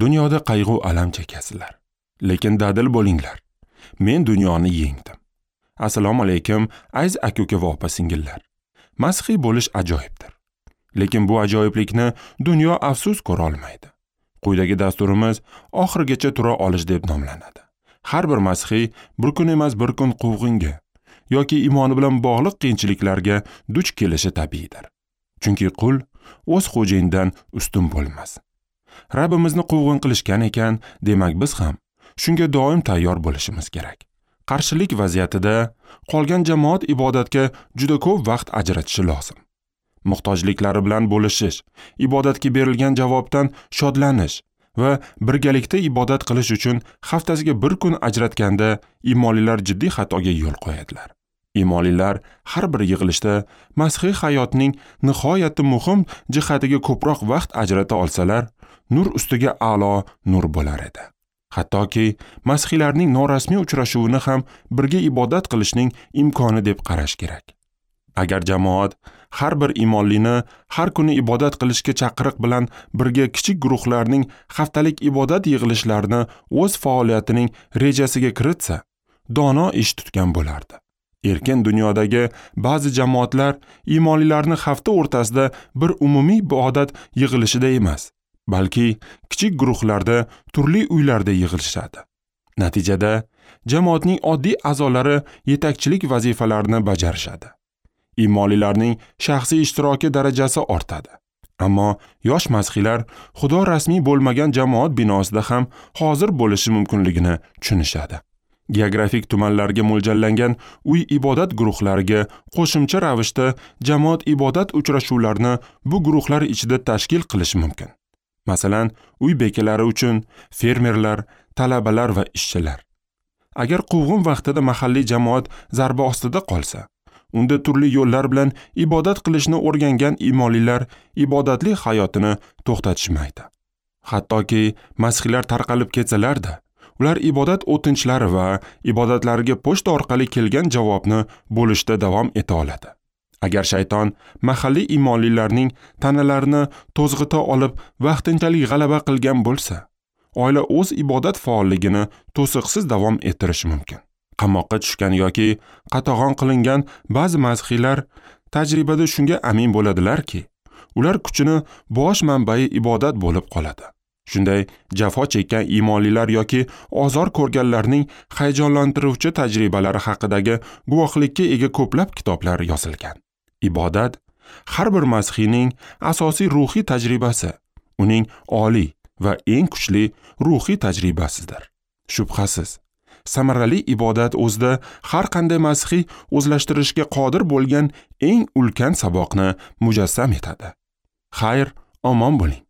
Dunyoda qayg'u alam chekasizlar, lekin dadil bo'linglar. Men dunyoni yengdim. Assalomu alaykum, aziz aka-uka va opa-singillar. Masihiy bo'lish ajoyibdir. Lekin bu ajoyiblikni dunyo afsus ko'ra olmaydi. Quyidagi dasturimiz oxirigacha tura olish deb nomlanadi. Har bir masihiy bir kun emas bir kun quvg'inga yoki iymoni bilan bog'liq qiyinchiliklarga duch kelishi tabiiydir. Chunki qul o'z xo'jayinidan ustun bo'lmas. Rabbimizni quvg'in qilishgan ekan, demak biz ham shunga doim tayyor bo'lishimiz kerak. Qarshilik vaziyatida qolgan jamoat ibodatga juda ko'p vaqt ajratishi lozim. Muhtojliklari bilan bo'lishish, ibodatga berilgan javobdan shodlanish va birgalikda ibodat qilish uchun haftasiga bir kun ajratganda iymonlilar jiddiy xatoga yo'l qo'yadilar. Iymonlilar har bir yig'ilishda masihiy hayotning nihoyatda muhim jihatiga ko'proq vaqt ajrata olsalar, nur ustiga a'lo nur bo'lar edi. Hattoki masihiylarning norasmiy uchrashuvini ham birga ibodat qilishning imkoni deb qarash kerak. Agar jamoat har bir iymonlini har kuni ibodat qilishga chaqiriq bilan birga kichik guruhlarning haftalik ibodat yig'ilishlarini o'z faoliyatining rejasiga kiritsa, dono ish tutgan bo'lardi. Erkin dunyodagi ba'zi jamoatlar iymonlilarni hafta o'rtasida bir umumiy ibodat yig'ilishida emas, balki kichik guruhlarda, turli uylarda yig'ilishadi. Natijada jamoatning oddiy a'zolari yetakchilik vazifalarini bajarishadi. Iymonlilarning shaxsiy ishtiroki darajasi ortadi. Ammo yosh masihiylar Xudo rasmiy bo'lmagan jamoat binosida ham hozir bo'lishi mumkinligini tushunishadi. Geografik tumanlarga mo'ljallangan uy ibodat guruhlariga qo'shimcha ravishda jamoat ibodat uchrashuvlarini bu guruhlar ichida tashkil qilish mumkin. Masalan, uy bekalari uchun fermerlar, talabalar va ishchilar. Agar quvg'in vaqtida mahalliy jamoat zarba ostida qolsa, unda turli yo'llar bilan ibodat qilishni o'rgangan iymonlilar ibodatli hayotini to'xtatishmaydi. Hattoki masihiylar tarqalib ketsalar-da, ular ibodat o'tinchlari va ibodatlariga pochta orqali kelgan javobni bo'lishda davom eta oladi. Agar shayton mahalliy iymonlilarning tanalarini to'zg'ita olib vaqtinchalik g'alaba qilgan bo'lsa, oila o'z ibodat faolligini to'siqsiz davom ettirishi mumkin. Qamoqqa tushgan yoki qatag'on qilingan ba'zi masihiylar tajribada shunga amin bo'ladilarki, ular kuchini bosh manbai ibodat bo'lib qoladi. Shunday jafo chekkan iymonlilar yoki ozor ko'rganlarning hayajonlantiruvchi tajribalari haqidagi guvohlikka ega ko'plab kitoblar yozilgan. Ibodat har bir masihiyning asosiy ruhiy tajribasi, uning oliy va eng kuchli ruhiy tajribasidir. Shubhasiz, samarali ibodat o'zida har qanday masihiy o'zlashtirishga qodir bo'lgan eng ulkan saboqni mujassam etadi. Xayr, omon bo'ling.